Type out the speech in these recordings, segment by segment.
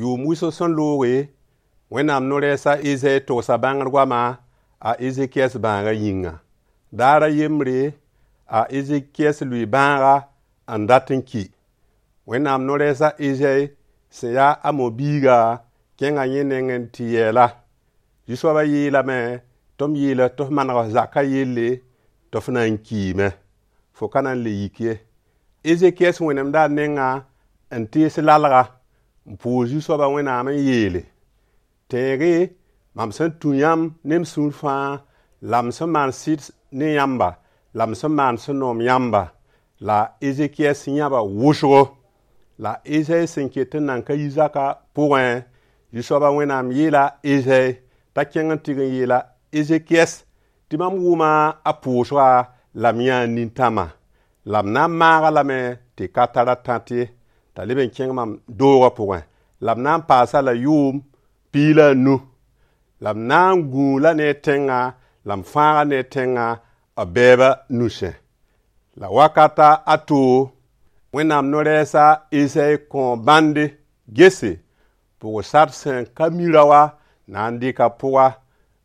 Yʋʋm wʋsg sẽn looge, Wẽnnaam no-rɛɛs a Ezayi togsa bãngr goama a Ezekiyas bãagã yĩnga. Daar a yembre, a Ezekiyas lʋɩ bãaga n dat n ki. Wẽnnaam no-rɛɛs a Ezayi sẽn yaa a Amo biiga kẽnga yẽ nengẽ n tɩ yɛɛl-a. Zu-soabã yeelame tɩ m yeel-f tɩ f maneg f zakã yelle tɩ f na n kiime. Fo ka na n le yik ye. Ezekiyas wẽnemda a nengã n tees lalga n pʋʋs Zu-soabã Wẽnnaam n yeele: Tẽeg-y mam sẽn tũ yãmb ne m sũur fãa la m sẽn maan sɩd ne yãmba la m sẽn maan sẽn noom yãmba. La Ezekiyas yãba wʋsgo. La Ezayi sẽn ket n nan ka yi zakã pʋgẽ, Zu-soabã Wẽnnaam yeela Ezayi t'a kẽng n tɩg n yeela Ezekiyas tɩ mam wʋma a pʋʋsga la m yãa nintãmã. La m na n maag-a lame tɩ ka tar a tãt ye, t'a leb n kẽng mam doogã pʋgẽ. La m na n paas-a la yʋʋm 15. La m na n gũud-la ne a tẽngã la m fãag-a ne a tẽngã b bɛɛbã nusẽ. La wakata a to, Wẽnnaam no-rɛɛs a Ezayi kõo bãnde gese, pʋg-sar sẽn ka mi raoã na n dɩka pʋga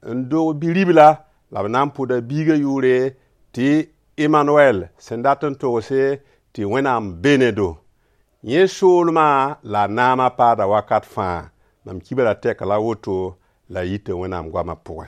n dog bi-ribla la b na n pʋda biigã yʋʋre tɩ Emanuɛl, sẽn dat n togse tɩ Wẽnnaam be ne do. Yẽ soolmã la a naamã paada wakat fãa. Mam kibra tɛk la woto la a yita Wẽnnaam goamã pʋgẽ.